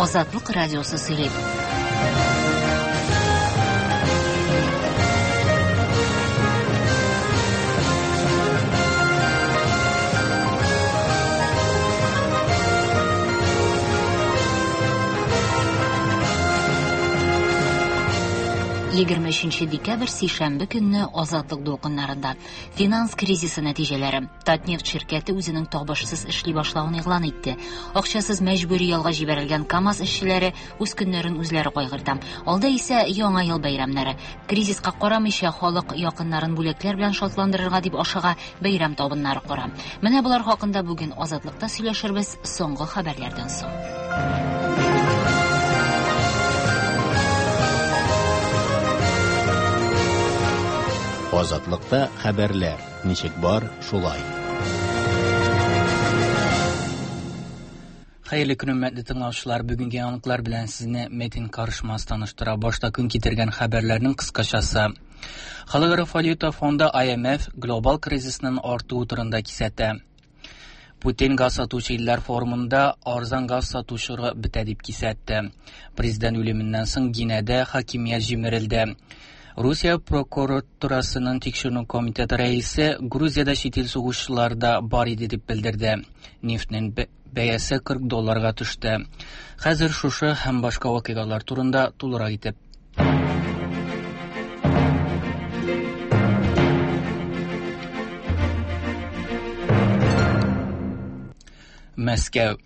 Азатлык радиосы сөйли. 23 декабрь сишәмбе көнне Азатлык дулкыннарында финанс кризисы нәтиҗәләре. Татнефть ширкәте үзенең табышсыз эшли башлавын игълан итте. Акчасыз мәҗбүри ялга җибәрелгән КАМАЗ эшчеләре үз көннәрен үзләре кайгырта. Алда исә Яңа ел бәйрәмнәре. Кризиска карамыйча, халык якыннарын бүләкләр белән шатландырырга дип ашыга, бәйрәм табыннары кора. Менә болар хакында бүген Азатлыкта сөйләшербез соңгы хәбәрләрдән соң. Азатлыкта хәбәрләр. Ничек бар, шулай. Хәерле көн, хөрмәтле тыңлаучылар. Бүгенге яңалыклар белән сезне Метин Карышмас таныштыра. Башта көн китергән хәбәрләрнең кыскачасы. Халыкара валюта фонды IMF глобал кризисның артуы турында кисәтә. Путин газ сатучы илләр форумында арзан газ сату чоры бетә дип кисәтте. Президент үлеменнән соң Гинәдә хакимият җимерелде. Русия прокуратурасының тикшеренү комитеты рәисе Грузиядә чит ил сугышчылары да бар иде дип белдерде. Нефтьнең бәясе 40 долларга төште. Хәзер шушы һәм башка вакыйгалар турында тулырак итеп. Мәскәү.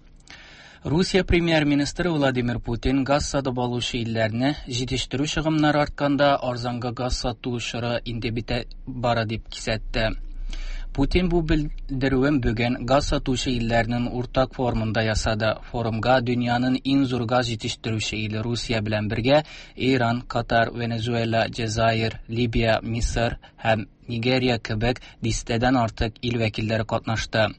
Русия премьер-министры Владимир Путин газ сатып алучы илләрне җитештерү чыгымнары артканда арзанга газ сату чоры инде бетә бара дип кисәтте. Путин бу белдерүен бүген газ сатучы илләрнең уртак форумында ясады. Форумга дөньяның иң зур газ җитештерүче иле Русия белән бергә Иран, Катар, Венесуэла, Җәзаир, Либия, Мисыр һәм Нигерия кебек дистәдән артык ил вәкилләре катнашты.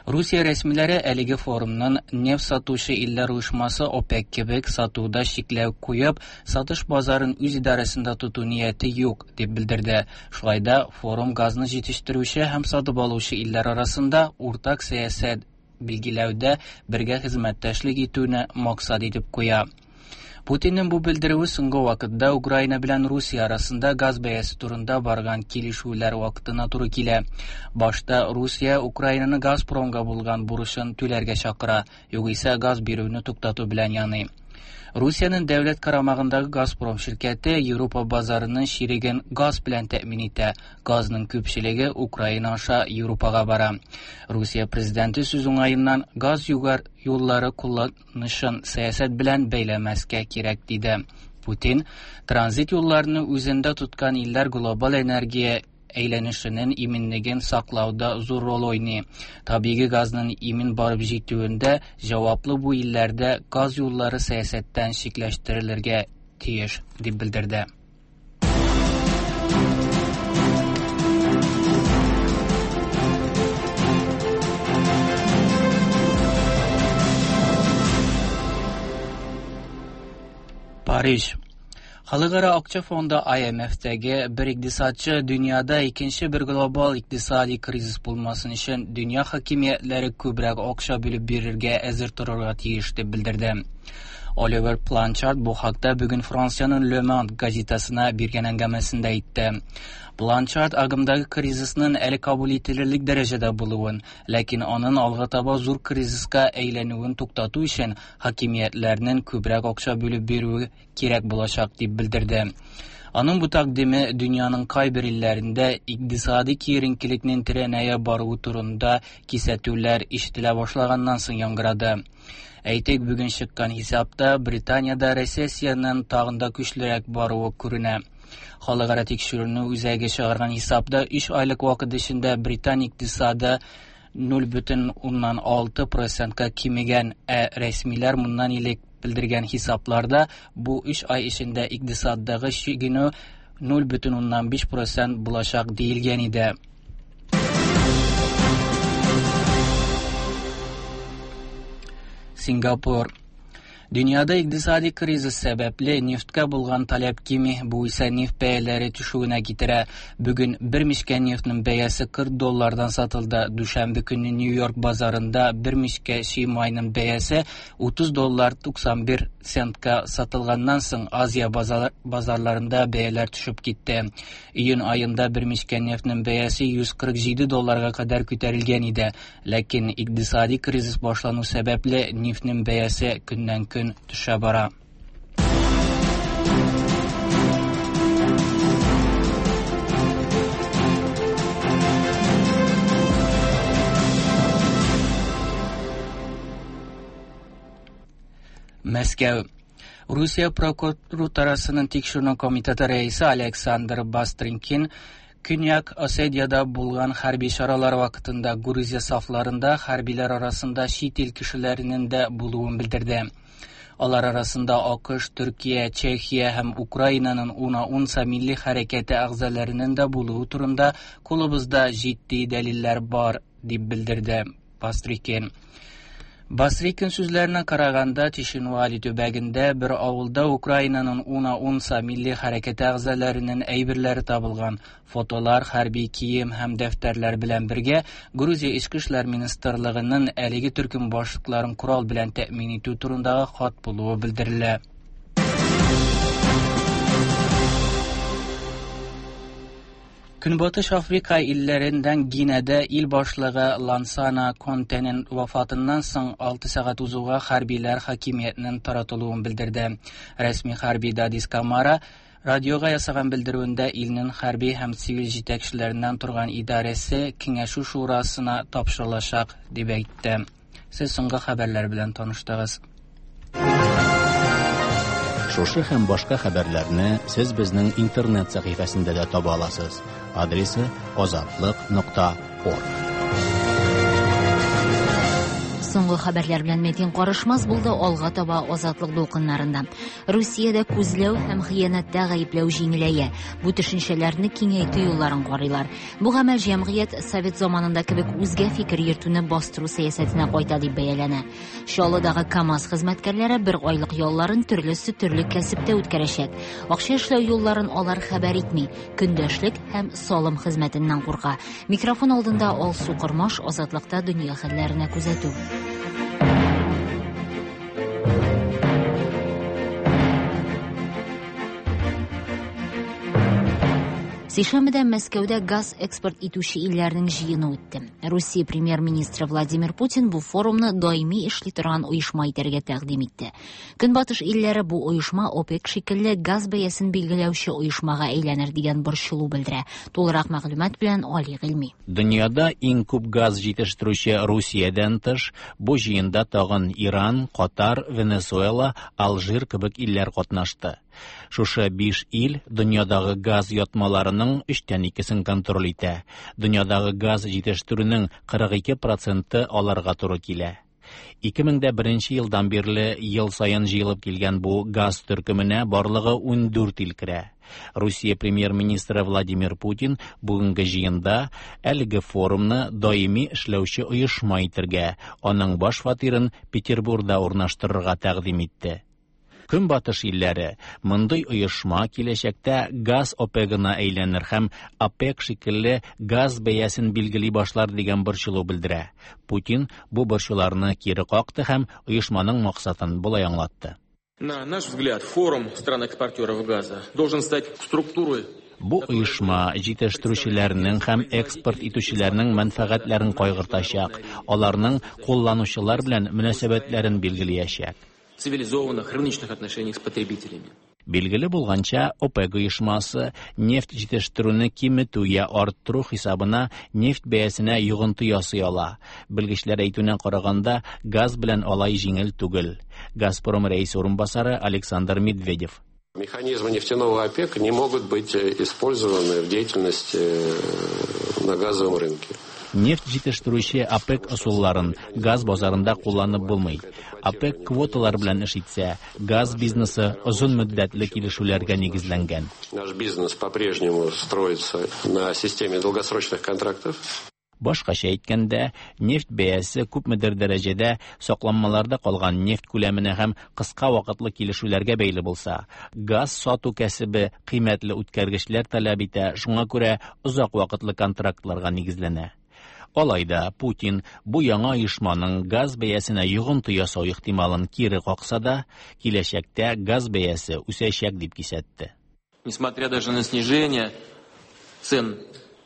Русия рәсмиләре әлеге форумның нефть сатучы илләр оешмасы ОПЕК кебек сатуда чикләү куеп, сатыш базарын үз идарәсендә тоту нияте юк, дип белдерде. Шулай да форум газны җитештерүче һәм сатып алучы илләр арасында уртак сәясәт билгеләүдә бергә хезмәттәшлек итүне максат итеп куя. Путинның бу белдерүе соңгы вакытта Украина белән Русия арасында газ бәясе турында барган килешүләр вакытына туры килә. Башта Русия Украинаны Газпромга булган бурычын түләргә чакыра, югыйсә газ бирүне туктату белән яный. Русиянең дәүләт карамагындагы Газпром ширкәте Европа базарының чиреген газ белән тәэмин итә. Газның күпчелеге Украина аша Европага бара. Русия президенты сүз уңаеннан газ югар юллары кулланышын сәясәт белән бәйләмәскә кирәк диде. Путин транзит юлларны үзендә тоткан илләр глобаль энергия әйләнешенең иминлеген саклауда зур роль уйный. Табигый газның имин барып җитүендә җаваплы бу илләрдә газ юллары сәясәттән чикләштерелергә тиеш, дип белдерде. Париж. Халыкара акча фонды IMF-тәге бер икътисадчы дөньяда икенче бер глобал икътисади кризис булмасын өчен дөнья хакимиятләре күбрәк акча бүлеп бирергә әзер торырга тиеш дип белдерде. Оливер Планчард бу хакта бүген Франциянең Le Monde газетасына биргән әңгәмәсендә әйтте. Планчард агымдагы кризисның әле кабул ителерлек дәрәҗәдә булуын, ләкин аның алга таба зур кризиска әйләнүен туктату өчен хакимиятләрнең күбрәк акча бүлеп бирүе кирәк булачак дип белдерде. Аның бу тәкъдиме дөньяның кайбер илләрендә икътисади киеренкелекнең тирәнәя баруы турында кисәтүләр ишетелә башлаганнан соң яңгырады. Әйтик, бүген чыккан хисапта Британиядә рецессиянең тагын да көчлерәк баруы күренә. Халыкара тикшеренү үзәге чыгарган хисапта 3 айлык вакыт эчендә Британ икътисады 0,6 процентка кимегән, ә рәсмиләр моннан элек белдергән хисапларда бу 3 ай эчендә икътисаддагы чигенү 0,5 процент булачак диелгән иде. Сингапур. Дөньяда икътисади кризис сәбәпле нефтькә булган таләп кими, бу исә нефть бәяләре төшүенә китерә. Бүген бер мичкә нефтьнең бәясе 40 доллардан сатылды. Дүшәмбе көнне Нью-Йорк базарында бер мичкә чи майның бәясе 30 доллар 91 центка сатылганнан соң Азия базарларында бәяләр төшеп китте. Июнь аенда бер мичкә нефтьнең бәясе 147 долларга кадәр күтәрелгән иде. Ләкин икътисади кризис башлану сәбәпле нефтьнең бәясе көннән-көн төшә бара. Мәскәү. Русия прокуратурасының тикшеренү комитеты рәисе Александр Бастрыкин Көньяк Осетиядә булган хәрби чаралар вакытында Грузия сафларында хәрбиләр арасында чит ил кешеләренең дә булуын белдерде. Алар арасында АКШ, Төркия, Чехия һәм Украинаның Уна Унса милли хәрәкәте әгъзаларының да булуы турында кулыбызда җитди дәлилләр бар, дип белдерде Бастрыкин. Бастрыкин сүзләренә караганда, Цхинвали төбәгендә бер авылда Украинаның Уна Унса милли хәрәкәте әгъзаларының әйберләре табылган. Фотолар, хәрби кием һәм дәфтәрләр белән бергә Грузия Эчке эшләр министрлыгының әлеге төркем башлыкларын корал белән тәэмин итү турындагы хат булуы белдерелә. Көнбатыш Африка илләреннән Гинеда ил башлыгы Лансана Контенең вафатыннан соң 6 сәгать узуга хәрбиләр хакимиятнең таратылуын белдерде. Рәсми хәрби Дадис Камара радиога ясаган белдерүендә илнең хәрби һәм цивиль җитәкчеләреннән торган идарәсе киңәшү шурасына тапшырылачак дип әйтте. Сез соңгы хәбәрләр белән таныштыгыз. Шушы һәм башка хәбәрләрне сез безнең интернет сәхифәсендә дә таба аласыз. Адресы azatliq.org. Соңгы хәбәрләр белән Метин Карышмас булды. Алга таба Азатлык дулкыннарында. Русиядә күзләү һәм хыянәттә гаепләү җиңеләя. Бу төшенчәләрне киңәйтү юлларын карыйлар. Бу гамәл җәмгыять совет заманында кебек үзгә фикер йөртүне бастыру сәясәтенә кайта дип бәяләнә. Чаллыдагы КАМАЗ хезмәткәрләре бер айлык ялларын төрлесе төрле кәсептә үткәрәчәк. Акча эшләү юлларын алар хәбәр итми. Көндәшлек һәм салым хезмәтеннән курка. Микрофон алдында Алсу Кормаш, Азатлыкта дөнья хәлләренә күзәтү. Сишәмбедә Мәскәүдә газ экспорт итүче илләрнең җыены үтте. Русия премьер-министры Владимир Путин бу форумны даими эшли торган оешма итәргә тәкъдим итте. Көнбатыш илләре бу оешма ОПЕК шикелле газ бәясен билгеләүче оешмага әйләнер дигән борчылу белдерә. Тулырак мәгълүмат белән Али Гыйльми. Дөньяда иң күп газ җитештерүче Русиядән тыш, бу җыенда тагын Иран, Катар, Венесуэла, Алжир кебек илләр катнашты. Шушы 5 ил дөньядагы газ ятмаларының 2/3-сен контроль итә. Дөньядагы газ җитештерүнең 42% аларга туры килә. 2001 елдан бирле ел саен җыелып килгән бу газ төркеменә барлыгы 14 ил керә. Русия премьер-министры Владимир Путин бүгенге җыенда әлеге форумны даими эшләүче оешма итергә, аның баш фатирын Петербургда урнаштырырга тәкъдим итте. Көнбатыш илләре мондый оешма киләчәктә газ ОПЕКына әйләнер һәм ОПЕК шикелле газ бәясен билгели башлар дигән борчылу белдерә. Путин бу борчуларны кире какты һәм оешманың максатын болай аңлатты. На наш взгляд, форум стран-экспортеров газа должен стать структурой. Бу оешма җитештерүчеләрнең һәм экспорт итүчеләрнең мәнфәгатьләрен кайгыртачак, аларның кулланучылар белән мөнәсәбәтләрен билгеләячәк. Цивилизованных рыночных отношений с потребителями. Билгеле булганча, ОПЕК оешмасы нефть җитештерүне киметү я арттыру хисабына нефть бәясенә йогынты ясый ала. Белгечләр әйтүенә караганда, газ белән алай җиңел түгел. Газпром рәисе урынбасары Александр Медведев. Механизмы нефтяного ОПЕК не могут быть использованы в деятельности на газовом рынке. Нефть җитештерүче ОПЕК ысулларын газ базарында кулланып булмый. ОПЕК квоталар белән эш итсә, газ бизнесы озын мөддәтле килешүләргә нигезләнгән. Наш бизнес по-прежнему строится на системе долгосрочных контрактов. Башкача әйткәндә, нефть бәясе күпмедер дәрәҗәдә сакланмаларда калган нефть күләменә һәм кыска вакытлы килешүләргә бәйле булса, газ сату кәсебе кыйммәтле үткәргечләр таләп итә, шуңа күрә озак вакытлы контрактларга нигезләнә. Алай да Путин бу яңа оешманың газ бәясенә йогынты ясау ихтималын кире какса да, киләчәктә газ бәясе үсәчәк дип кисәтте. Несмотря даже на снижение цен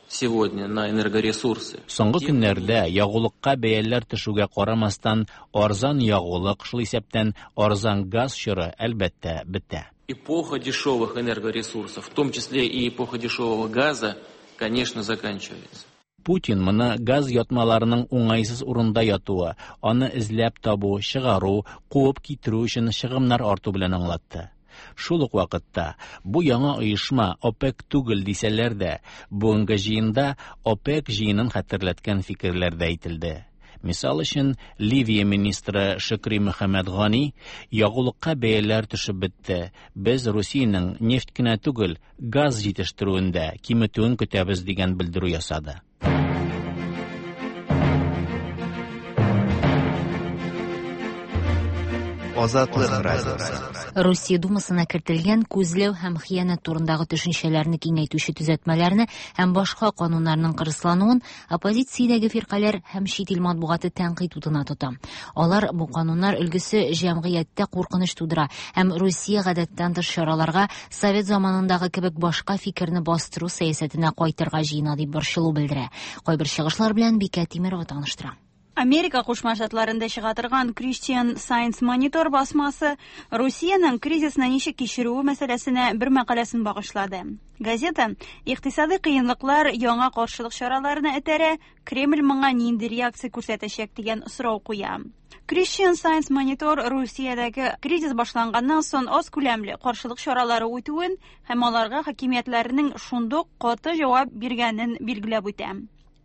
сегодня на энергоресурсы. Соңгы көннәрдә ягулыкка бәяләр төшүгә карамастан, арзан ягулык, шул исәптән арзан газ чоры, әлбәттә, бетә. Эпоха дешевых энергоресурсов, в том числе и эпоха дешевого газа, конечно, заканчивается. Путин моны газ ятмаларының уңайсыз урында ятуы, аны эзләп табу, чыгару, куып китерү өчен чыгымнар арту белән аңлатты. Шул ук вакытта бу яңа оешма ОПЕК түгел дисәләр дә, бүгенге җыенда ОПЕК җыенын хәтерләткән фикерләр дә әйтелде. Мисал өчен, Ливия министры Шөкри Мөхәммәд Гани ягулыкка бәяләр төшеп бетте. Без Русиянең нефть кенә түгел, газ җитештерүен дә киметүен көтәбез дигән белдерү ясады. Азатлык радиосы. Русия Думасына кертелгән күзләү һәм хыянәт турындагы төшенчәләрне киңәйтүче төзәтмәләрне һәм башка кануннарның кырыслануын оппозициядәге фиркаләр һәм чит ил матбугаты тәнкыйть утына тота. Алар бу кануннар өлгесе җәмгыятьтә куркыныч тудыра һәм Русия гадәттән тыш чараларга совет заманындагы кебек башка фикерне бастыру сәясәтенә кайтырга җыена дип борчылу белдерә. Кайбер чыгышлар белән Бикә Тимирова таныштыра. Америка Кушма Штатларында чыга торган Christian Science Monitor басмасы Русиянең кризисны ничек кичерүе мәсьәләсенә бер мәкаләсен багышлады. Газета икътисадый кыенлыклар яңа каршылык чараларына этәрә, Кремль моңа нинди реакция күрсәтәчәк дигән сорау куя. Christian Science Monitor Русиядәге кризис башланганнан соң аз күләмле каршылык чаралары үтүен һәм аларга хакимиятләрнең шундук каты җавап биргәнен билгеләп үтә.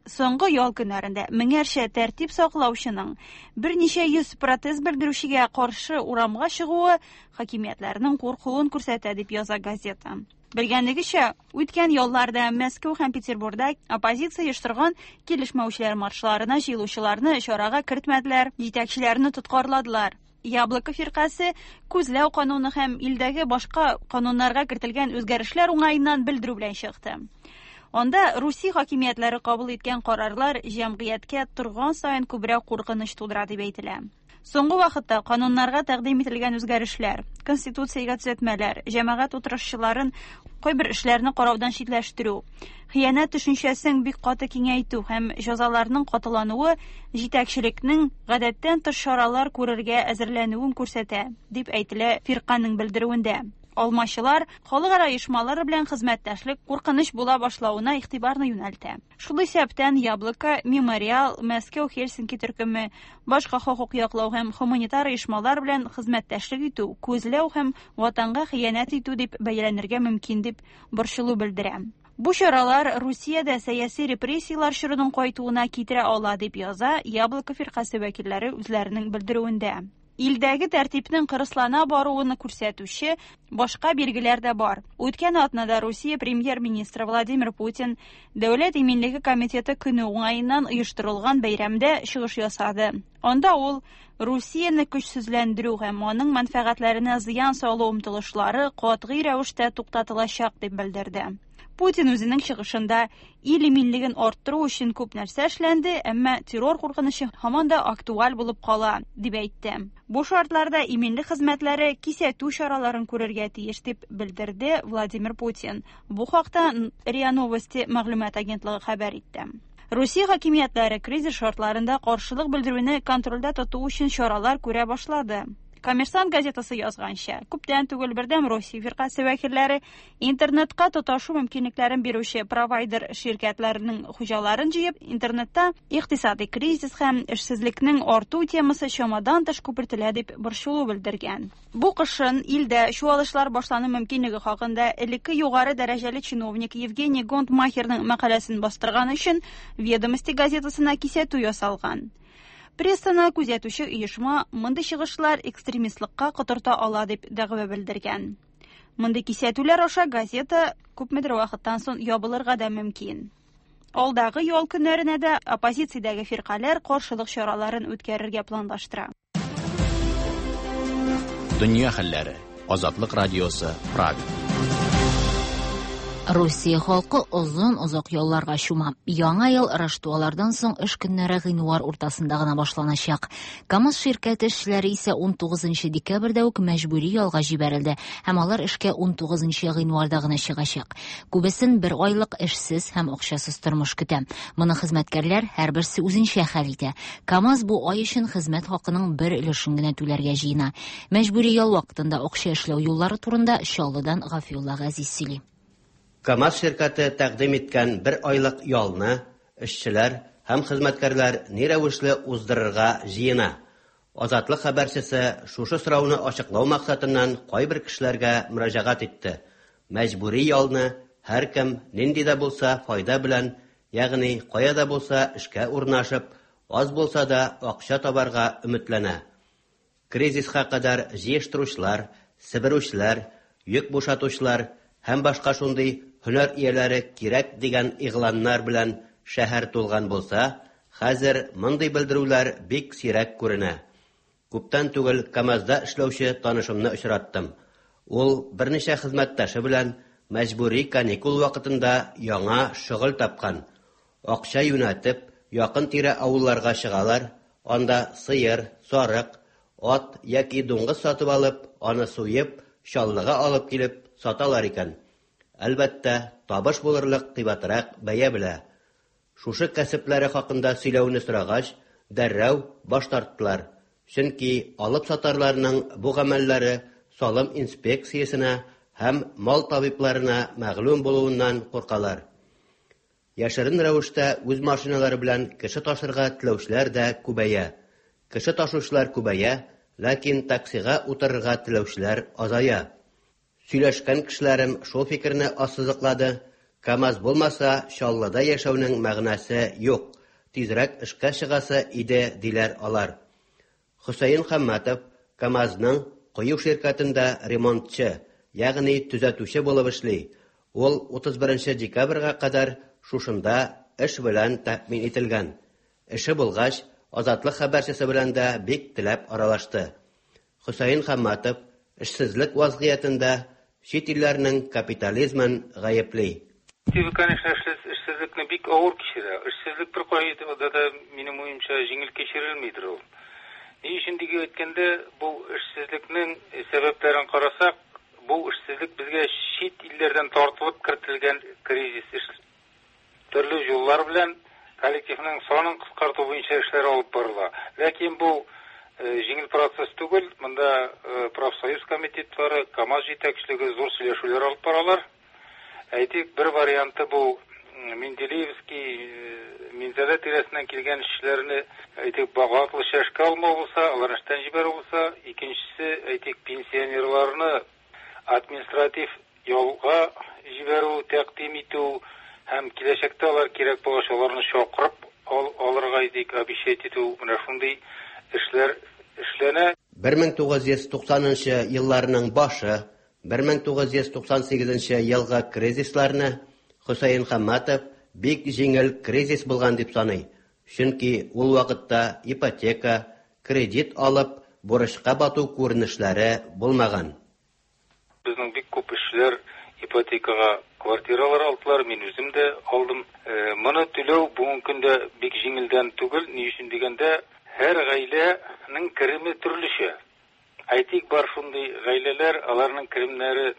Соңгы ял көннәрендә меңәрчә тәртип саклаучының берничә йөз протест белдерүчегә каршы урамга чыгуы хакимиятләрнең куркуын күрсәтә дип яза газета. Белгәнлегечә, үткән ялларда Мәскәү һәм Петербургда оппозиция оештырган килешмәүчеләр маршларына җыелучыларны чарага кертмәделәр, җитәкчеләрне тоткарладылар. Яблоко фиркасе күзләү кануны һәм илдәге башка кануннарга кертелгән үзгәрешләр уңаеннан белдерү белән чыкты. Анда Русия хакимиятләре кабул иткән карарлар җәмгыятькә торган саен күбрәк куркыныч тудыра дип әйтелә. Соңгы вакытта кануннарга тәкъдим ителгән үзгәрешләр, конституциягә төзәтмәләр, җәмәгать утырышчыларын кайбер эшләрне караудан читләштерү, хыянәт төшенчәсен бик каты киңәйтү һәм җәзаларның катылануы җитәкчелекнең гадәттән тыш чаралар күрергә әзерләнүен күрсәтә, дип әйтелә фирканең белдерүендә. Алмачылар халыкара оешмалар белән хезмәттәшлек куркыныч була башлавына игътибарны юнәлтә. Шул исәптән Яблоко, Мемориал, Мәскәү Хельсинки төркеме, башка хокук яклау һәм гуманитар оешмалар белән хезмәттәшлек итү, күзләү һәм ватанга хыянәт итү дип бәяләнергә мөмкин дип борчылу белдерә. Бу чаралар Русиядә сәяси репрессияләр чорының кайтуына китерә ала дип яза Яблоко фиркасе вәкилләре үзләренең белдерүендә. Илдәге тәртипнең кырыслана баруын күрсәтүче башка билгеләр дә бар. Үткән атнада Русия премьер-министры Владимир Путин Дәүләт иминлеге комитеты көне уңаеннан оештырылган бәйрәмдә чыгыш ясады. Анда ул Русияне көчсезләндерү һәм аның мәнфәгатьләренә зыян салу омтылышлары катгый рәвештә туктатылачак дип белдерде. Путин үзенең чыгышында ил иминлеген арттыру өчен күп нәрсә эшләнде, әмма террор куркынычы һаман да актуаль булып кала, дип әйтте. Бу шартларда иминлек хезмәтләре кисәтү чараларын күрергә тиеш, дип белдерде Владимир Путин. Бу хакта РИА Новости мәгълүмат агентлыгы хәбәр итте. Русия хакимиятләре кризис шартларында каршылык белдерүне контрольдә тоту өчен чаралар күрә башлады. Коммерсант газетасы язганча, күптән түгел Бердәм Россия фиркасе вәкилләре интернетка тоташу мөмкинлекләрен бирүче провайдер ширкәтләренең хуҗаларын җыеп, интернетта икътисадый кризис һәм эшсезлекнең арту темасы чамадан тыш күпертелә дип борчылу белдергән. Бу кышын илдә чуалышлар башлану мөмкинлеге хакында элекке югары дәрәҗәле чиновник Евгений Гонтмахерның мәкаләсен бастырган өчен Ведомости газетасына кисәтү ясалган. Прессаны күзәтүче оешма мондый чыгышлар экстремистлыкка котырта ала дип дәгъва белдергән. Мондый кисәтүләр аша газета күпмедер вакыттан соң ябылырга да мөмкин. Алдагы ял көннәренә дә оппозициядәге фиркаләр каршылык чараларын үткәрергә планлаштыра. Дөнья хәлләре. Азатлык радиосы, Прага. Русия халкы озын-озак ялларга чума. Яңа ел Раштуалардан соң эш көннәре гыйнвар уртасында гына башланачак. КАМАЗ ширкәте эшчеләре исә 19 декабрьдә үк мәҗбүри ялга җибәрелде һәм алар эшкә 19 гыйнварда гына чыгачак. Күбесен бер айлык эшсез һәм акчасыз тормыш көтә. Моны хезмәткәрләр һәрберсе үзенчә хәл итә. КАМАЗ бу ай өчен хезмәт хакының бер өлешен генә түләргә җыена. Мәҗбүри ял вакытында акча эшләү юллары турында Чаллыдан Гафиулла Газиз сөйли. КАМАЗ ширкәте тәкъдим иткән бер айлык ялны эшчеләр һәм хезмәткәрләр ни рәвешле уздырырга җыена? Азатлык хәбәрчесе шушы сорауны ачыклау максатыннан кайбер кешеләргә мөрәҗәгать итте. Мәҗбүри ялны һәркем нинди дә булса файда белән, ягъни кая да булса эшкә урнашып, аз булса да акча табарга өметләнә. Кризиска кадәр җыештыручылар, себерүчеләр, йөк бушатучылар һәм башка шундый һөнәр ияләре кирәк дигән игъланнар белән шәһәр тулган булса, хәзер мондый белдерүләр бик сирәк күренә. Күптән түгел КАМАЗда эшләүче танышымны очраттым. Ул берничә хезмәттәше белән мәҗбүри каникул вакытында яңа шөгыль тапкан. Акча юнәтеп, якын-тирә авылларга чыгалар, анда сыер, сарык, ат яки дуңгыз сатып алып, аны суеп, Чаллыга алып килеп саталар икән. Әлбәттә, табыш булырлык кыйбатрак бәя белә. Шушы кәсепләре хакында сөйләүне сорагач, дәррәү баш тарттылар. Чөнки алып сатарларның бу гамәлләре салым инспекциясенә һәм мал табибларына мәгълүм булуыннан куркалар. Яшерен рәвештә үз машиналары белән кеше ташырга теләүчеләр дә күбәя. Кеше ташучылар күбәя, ләкин таксига утырырга теләүчеләр азая. Сөйләшкән кешеләрем шул фикерне ассызыклады, КАМАЗ булмаса, Чаллыда яшәүнең мәгънәсе юк, тизрәк эшкә чыгасы иде, диләр алар. Хөсәен Хамматов КАМАЗның кою ширкәтендә ремонтчы, ягъни төзәтүче булып эшли. Ул 31 декабрьгә кадәр шушында эш белән тәэмин ителгән. Эше булгач, Азатлык хәбәрчесе белән дә бик теләп аралашты. Хөсәен Хамматов эшсезлек вазгыятендә чит илләрнең капитализмын гаепли. Конечно, эшсезлекне бик авыр кичерә. Эшсезлек бер кайда да, минем уемча, җиңел кичерелмидер ул. Ни өчен дип әйткәндә, бу эшсезлекнең сәбәпләрен карасак, бу эшсезлек безгә чит илләрдән тартылып кертелгән кризис. Төрле юллар белән коллективның санын кыскарту буенча эшләр алып барыла. Ләкин бу җиңел процесс түгел. Монда профсоюз комитетлары, КАМАЗ җитәкчелеге зур сөйләшүләр алып баралар. Әйтик, бер варианты бу Менделеевский, Минзәлә тирәсеннән килгән эшчеләрне, әйтик, вакытлыча эшкә алмау булса, аларны эштән җибәрү булса, икенчесе, әйтик, пенсионерларны административ ялга җибәрү, тәкъдим итү һәм киләчәктә алар кирәк булгач, аларны чакырып алырга, әйтик, обещать итү, менә шундый эшләр эшләнә. 1990 елларның башы, 1998 елгы кризисларны Хөсәен Хамматов бик җиңел кризис булган дип саный. Чөнки ул вакытта ипотека, кредит алып, бурычка бату күренешләре булмаган. Безнең бик күп эшчеләр ипотекага квартиралар алдылар, мин үзем дә алдым. Моны түләү бүгенге көндә бик җиңелдән түгел, ни өчен дигәндә, һәр гаиләнең кереме төрлечә. Әйтик, бар шундый гаиләләр, аларның керемнәре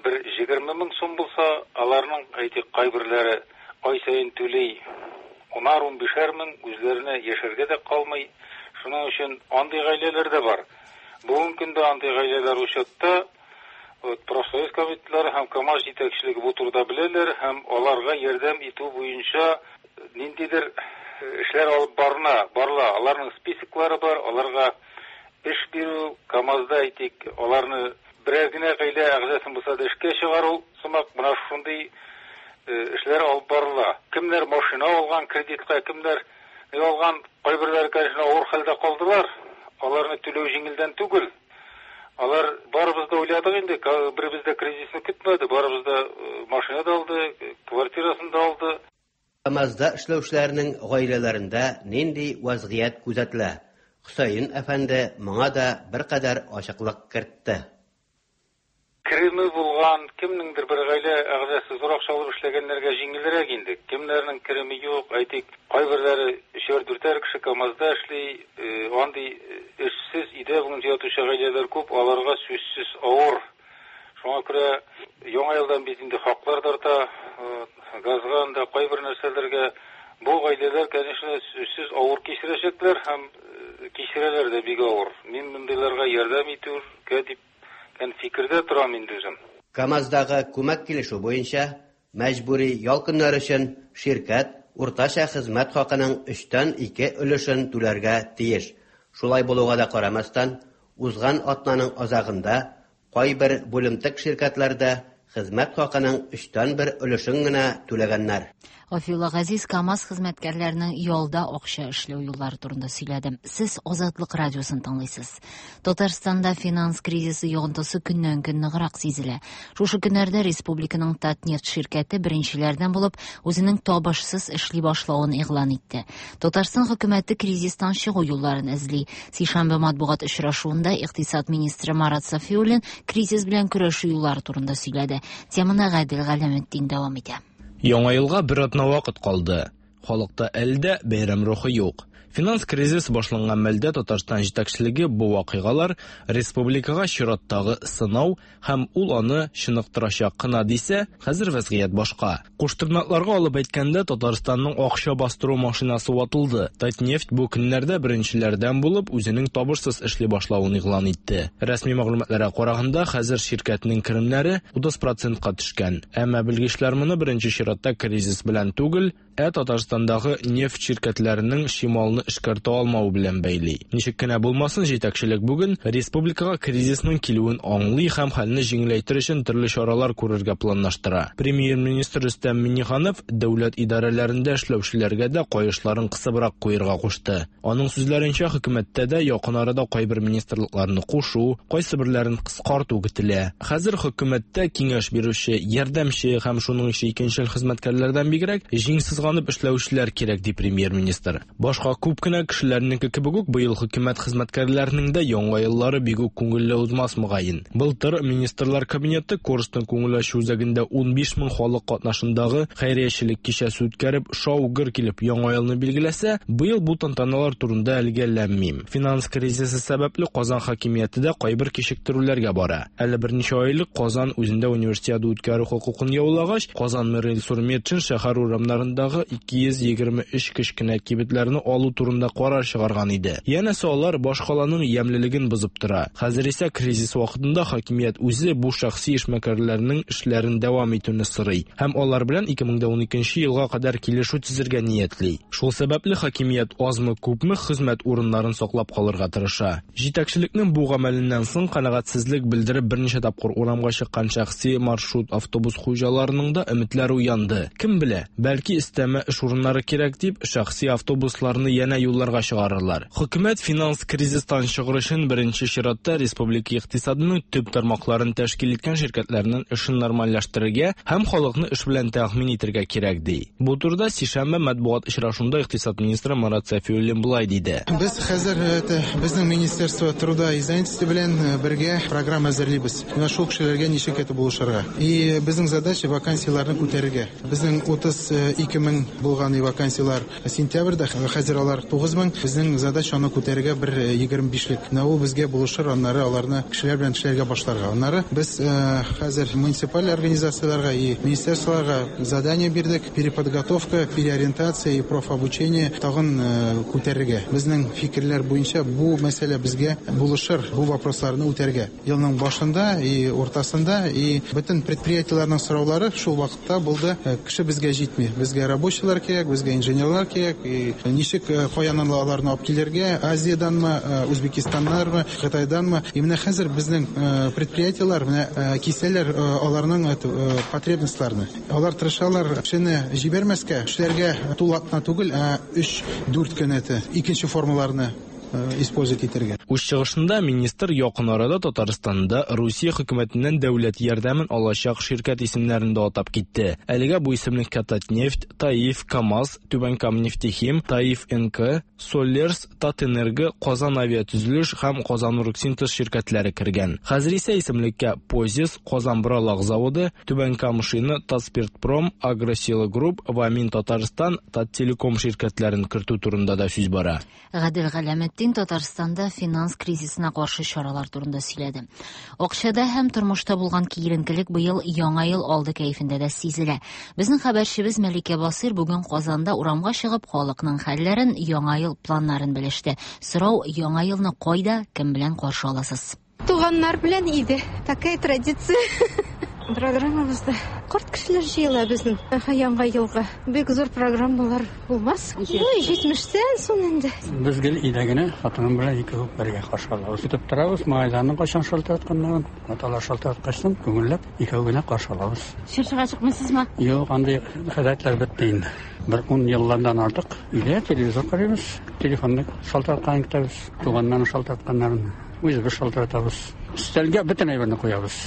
бер 20 мең сум булса, аларның, әйтик, кайберләре ай саен түли 10-15 мең, үзләренә яшәргә дә калмый. Шуның өчен андый гаиләләр дә бар. Бүгенге көндә андый гаиләләр учетта, вот, профсоюз комитетлары һәм КАМАЗ җитәкчелеге бу турыда беләләр һәм аларга ярдәм итү буенча ниндидер эшләр алып барыла. Аларның списоклары бар, аларга эш бирү, КАМАЗда, әйтик, аларны берәр генә гаилә әгъзасын булса да эшкә чыгару сымак, менә шундый эшләр алып барыла. Кемнәр машина алган кредитка, кемнәр алган, кайберләре, конечно, авыр хәлдә калдылар. Аларны түләү җиңелдән түгел. Алар барыбыз да уйладык инде, беребез дә кризисны көтмәде, барыбыз да машина да алды, квартирасын да алды. КАМАЗда эшләүчеләрнең гаиләләрендә нинди вәзгыять күзәтелә? Хөсәен әфәнде моңа да беркадәр ачыклык кертте. Кереме булган кемнеңдер бер гаилә әгъзасы зур акча алып эшләгәннәргә җиңелрәк инде. Кемнәрнең кереме юк, әйтик, кайберләре өчәр-дүртәр кеше КАМАЗда эшли, андый эшсез өйдә бүген ятучы гаиләләр күп, аларга сүзсез авыр. Шуңа күрә яңа елдан бит инде хаклар да арта, газга анда кайбер нәрсәләргә. Бу гаиләләр, конечно, сүзсез авыр кичерәчәкләр һәм кичерәләр дә бик авыр. Мин мондыйларга ярдәм итүгә дип фикердә торам инде үзем. КАМАЗдагы күмәк килешү буенча мәҗбүри ял көннәре өчен ширкәт уртача хезмәт хакының 2/3 өлешен түләргә тиеш. Шулай булуга да карамастан, узган атнаның азагында кайбер бүлемтек ширкәтләрдә хезмәт хакының 1/3 өлешен генә түләгәннәр. Гафиулла Газиз КАМАЗ хезмәткәрләренең ялда акча эшләү юллары турында сөйләде. Сез Азатлык радиосын тыңлыйсыз. Татарстанда финанс кризисы йогынтысы көннән-көн ныграк сизелә. Шушы көннәрдә республиканың Татнефть ширкәте беренчеләрдән булып үзенең табышсыз эшли башлавын игълан итте. Татарстан хөкүмәте кризистан чыгу юлларын эзли. Сишәмбе матбугат очрашуында икътисад министры Марат Сафиуллин кризис белән көрәшү юллары турында сөйләде. Теманы Гадел Галәметдин дәвам итә. Яңа елга бер атна вакыт калды. Халыкта әле дә бәйрәм рухы юк. Финанс кризис башланган мәлдә Татарстан җитәкчелеге бу вакыйгалар республикага чираттагы сынау һәм ул аны чыныктырачак кына дисә, хәзер вәзгыять башка. Куштырнакларга алып әйткәндә, Татарстанның акча бастыру машинасы ватылды. Татнефть бу көннәрдә беренчеләрдән булып үзенең табышсыз эшли башлавын игълан итте. Рәсми мәгълүматларга караганда, хәзер ширкәтнең керемнәре 30%-ка төшкән. Әмма белгечләр моны беренче чиратта кризис белән түгел, ә Татарстандагы нефть ширкәтләренең чималны эшкәртә алмавы белән бәйли. Ничек кенә булмасын, җитәкчелек бүген республикага кризисның килүен аңлый һәм хәлне җиңеләйтер өчен төрле чаралар күрергә планлаштыра. Премьер-министр Рөстәм Миңнеханов дәүләт идарәләрендә эшләүчеләргә дә каешларын кысыбрак куерга кушты. Аның сүзләренчә, хөкүмәттә дә якын арада кайбер министрлыкларны кушу, кайсы берләрен кыскарту көтелә. Хәзер хөкүмәттә киңәш бирүче, ярдәмче һәм шуның ише икенчел хезмәткәрләрдән бигрәк җиңсез ганып эшләүчеләр кирәк, ди премьер-министр. Башка күп кенә кешеләрнеке кебек үк быел хөкүмәт хезмәткәрләренең дә яңа еллары бик үк күңелле узмас мөгаен. Былтыр Министрлар кабинеты Корстон күңел ачу үзәгендә 15 мең халык катнашындагы хәйриячелек кичәсе үткәреп, шау-гөр килеп яңа елны билгеләсә, быел бу тантаналар турында әлегә ләм-мим. Финанс кризисы сәбәпле Казан хакимияте дә кайбер кичектерүләргә бара. Әле берничә ай элек Казан үзендә универсиада үткәрү хокукын яулагач, Казан мэры Илсур Метшин шәһәр урамнарындагы 223 кечкенә кибетләрне алу турында карар чыгарган иде. Янәсе алар башкаланың ямьлелеген бозып тора. Хәзер исә кризис вакытында хакимият үзе бу шәхси эшмәкәрләрнең эшләрен дәвам итүне сорый һәм алар белән 2012 елга кадәр килешү төзергә ниятли. Шул сәбәпле хакимият азмы-күпме хезмәт урыннарын саклап калырга тырыша. Җитәкчелекнең бу гамәленнән соң канәгатьсезлек белдереп берничә тапкыр урамга чыккан шәхси маршрут автобус хуҗаларының да өметләре уянды. Кем белә, бәлки өстәмә эш урыннары кирәк дип, шәхси автобусларны янә юлларга чыгарырлар. Хөкүмәт финанс кризистан чыгыр өчен беренче чиратта республика икътисадының төп тармакларын тәшкил иткән ширкәтләрнең эшен нормальләштерергә һәм халыкны эш белән тәэмин итәргә кирәк, ди. Бу турыда сишәмбе матбугат очрашуында икътисад министры Марат Сафиуллин болай диде. Без хәзер безнең Министерство труда и занятости белән бергә программа әзерлибез. Менә шул кешеләргә ничек итеп булышырга. И безнең задача вакансияләрне күтәрергә. Безнең 32 мең булган и вакансияләр сентябрьдә, хәзер алар 9 мең. Безнең задача аны күтәрергә бер 25лек. Менә ул безгә булышыр, аннары аларны кешеләр белән эшләргә башларга. Аннары без хәзер муниципаль организацияләргә и министерстволарга задание бирдек. Переподготовка, переориентация и профобучение тагын күтәрергә. Безнең фикерләр буенча бу мәсьәлә безгә булышыр, бу вопросларны үтәргә. Елның башында и уртасында и бөтен предприятиеләрнең сораулары шул вакытта булды. Кеше безгә җитми. Безгә рабочийлар кирәк, безгә инженерлар кирәк. И ничек каян аларны алып килергә? Азияданмы, Үзбекистаннармы, Кытайданмы? И менә хәзер безнең предприятиеләр менә кисәләр аларның потребностьларны. Алар тырышалар кешене җибәрмәскә, эшләргә тулы атна түгел, ә 3-4 көн икенче формаларны использовать итәргә. Үз чыгышында министр якын арада Татарстанда Русия хөкүмәтеннән дәүләт ярдәмен алачак ширкәт исемнәрен дә атап китте. Әлегә бу исемлеккә Татнефть, ТАИФ, КАМАЗ, Түбән Кама нефтехим, ТАИФ НК, Соллерс, Татэнерго, Казан авиатөзелеш һәм Казаноргсинтез ширкәтләре кергән. Хәзер исә исемлеккә Позис, Казан боралак заводы, Түбән Кама шина, Татспиртпром, Агросила Групп, Вамин Татарстан, Таттелеком ширкәтләрен кертү турында да сүз бара. Гадел Галәметдин Татарстанда финанс кризисына каршы чаралар турында сөйләде. Акчада һәм тормышта булган киеренкелек быел Яңа ел алды кәефендә дә сизелә. Безнең хәбәрчебез Мәликә Басыйр бүген Казанда урамга чыгып халыкның хәлләрен, Яңа ел планнарын белеште. Сорау: Яңа елны кайда, кем белән каршы аласыз? Туганнар белән иде. Такая традиция. Программабызда карт кешеләр җыела безнең Яңа елга. Бик зур программалар булмас. Ну, 70тән соң инде. Без гел өйдә генә хатыным белән икәү бергә каршы алабыз. Көтеп торабыз, малайларның кайчан шалтыратканнарын. Аталар шалтыраткачтан күңелләп икәү генә каршы алабыз. Чыршыга чыкмыйсызмы? Юк, андый гадәтләр бетте инде. Бер 10 еллардан артык өйдә телевизор карыйбыз, телефонны шалтыратканын көтәбез, туганнарның шалтыратканнарын үзебез шалтыратабыз. Өстәлгә бөтен әйберне куябыз.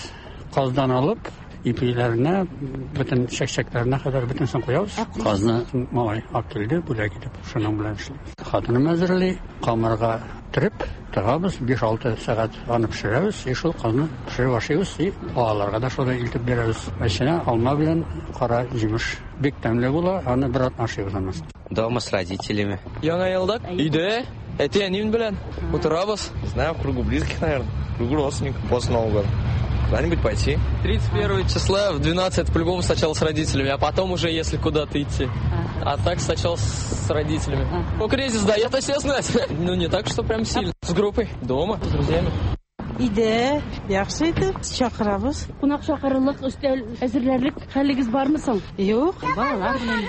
Каздан алып, ипиләренә, бөтен чәкчәкләренә кадәр бөтенесен куябыз. Казны малай алып килде, бүләк итеп, шуның белән эшлибез. Хатыным әзерли, камырга төреп, тыгабыз, 5-6 сәгать аны пешерәбез, и шул казны пешереп ашыйбыз, и балаларга да шуны илтеп бирәбез. Эченә алма белән кара җимеш. Бик тәмле була, аны бер атна ашыйбыз аннан. Дома с родителями. Яңа елда өйдә әти-әнием белән утырабыз. Знаю, в кругу близких, наверное, в кругу родственников после Нового года. Куда-нибудь пойти. 31 числа в 12 по-любому сначала с родителями, а потом уже если куда-то идти. А так сначала с родителями. Ну, кризис дает о себе знать. Ну, не так, что прям сильно. С группой, дома, с друзьями. Өйдә яхшы итеп чакырабыз. Кунак чакырырлык, өстәл әзерләрлек хәлегез бармы соң? Юк. Балалар белән.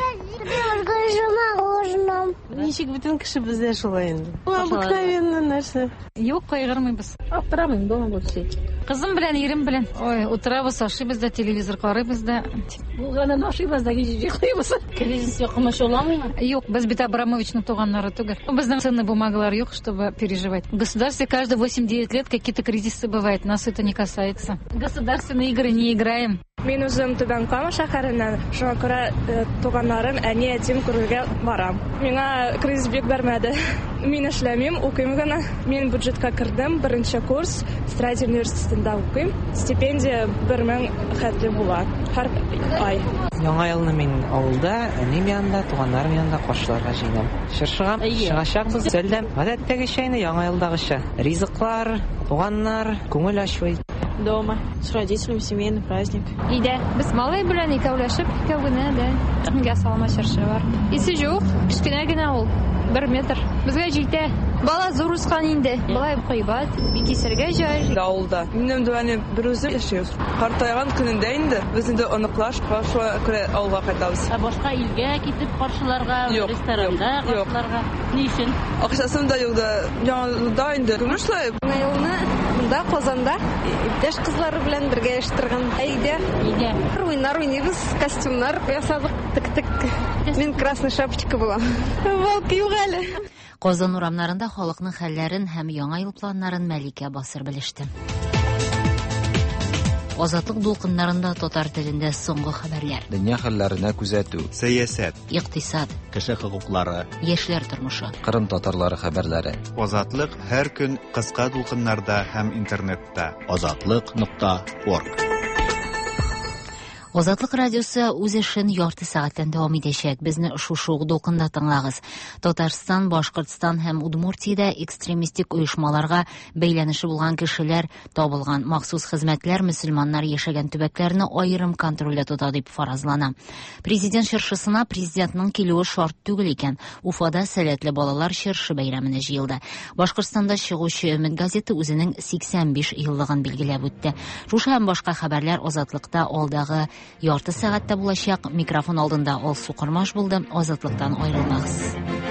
Ничек бөтен кеше бездә шулай инде. Бу обыкновенный нәрсә. Юк, кайгырмыйбыз. Аптырамыйм, дома буду сидеть. Кызым белән, ирем белән. Ой, утырабыз, ашыйбыз да, телевизор карыйбыз да. Булганын ашыйбыз да, кич йоклыйбыз. Кризис комачауламыймы? Юк, без бит Абрамовичның туганнары түгел. Безнең ценный бумагалар юк, чтобы переживать. В государстве каждые 8-9 лет какие-то кризисы бывают. Нас это не касается. Государственные игры не играем. Мин үзем Түбән Кама шәһәреннән, шуңа күрә туганнарым, әни, әтием күрергә барам. Миңа кризис бик бәрмәде. Мин эшләмим, укыйм гына. Мин бюджетка кердем, беренче курс, строитель университетында укыйм. Стипендия 1000 хәтле була һәр ай. Яңа елны мин авылда, әнием янында, туганнарым янында каршыларга җыенам. Чыршыга чыгачакбыз. Өстәлдә гадәттәгечә инде Яңа елдагыча. Ризыклар, туганнар, күңел ачу. Дома с родителями, семейный праздник. Өйдә. Без малай белән икәүләшеп, икәү генә дә. Ясалма чыршы бар. Исе юк, кечкенә генә ул. 1 метр. Безгә җитә. Бала зур үскән инде. Болай кыйбат, бик исәргә җай. Авылда. Минем дә бер үзем яшибез. Картайган көнендә инде без инде оныклар шуңа күрә авылга кайтабыз. Ә башка илгә китеп каршыларга, ресторанда каршыларга ни өчен? Акчасын да юк да, яңа инде. Күңел шулай. Яңа елны монда Казанда иптәш кызлары белән бергә оештырган. Өйдә. Өйдә. Уйнар уйныйбыз, костюмнар ясадык, тек-тек. Мин красная шапочка була. Волк юк әле. Казан урамнарында халыкның хәлләрен һәм яңа ел планнарын Мәликә Басыр белеште. Азатлык дулкыннарында татар телендә соңгы хәбәрләр. Дөнья хәлләренә күзәтү. Сәясәт. Икътисад. Кеше хокуклары. Яшьләр тормышы. Кырым татарлары хәбәрләре. Азатлык һәр көн кыска дулкыннарда һәм интернетта. Азатлык.орг. Азатлык радиосы үз эшен ярты сәгатьтән дәвам итәчәк. Безне шушы ук дулкында тыңлагыз. Татарстан, Башкортстан һәм Удмуртиядә экстремистик оешмаларга бәйләнеше булган кешеләр табылган. Махсус хезмәтләр мөселманнар яшәгән төбәкләрне аерым контрольдә тота дип фаразлана. Президент чыршысына президентның килүе шарт түгел икән. Уфада сәләтле балалар чыршы бәйрәменә җыелды. Башкортстанда чыгучы Өмет газеты үзенең 85 еллыгын билгеләп үтте. Шушы һәм башка хәбәрләр Азатлыкта алдагы ярты сәгатьтә булачак. Микрофон алдында Алсу Кормаш булды. Азатлыктан аерылмагыз.